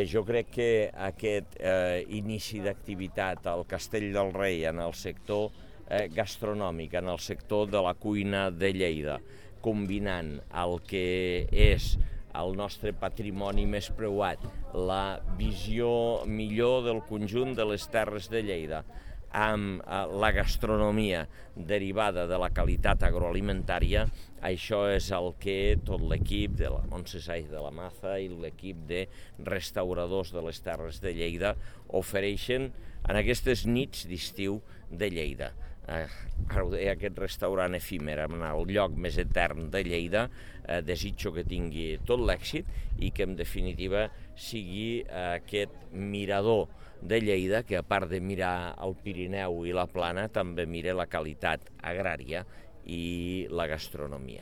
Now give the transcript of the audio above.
Jo crec que aquest inici d'activitat al Castell del Rei en el sector gastronòmic, en el sector de la cuina de Lleida, combinant el que és el nostre patrimoni més preuat, la visió millor del conjunt de les terres de Lleida, amb la gastronomia derivada de la qualitat agroalimentària, això és el que tot l'equip de la Montse Saiz de la Maza i l'equip de restauradors de les Terres de Lleida ofereixen en aquestes nits d'estiu de Lleida. Ara ho deia, aquest restaurant efímer en el lloc més etern de Lleida, desitjo que tingui tot l'èxit i que en definitiva sigui aquest mirador de Lleida que, a part de mirar el Pirineu i la Plana, també mira la qualitat agrària i la gastronomia.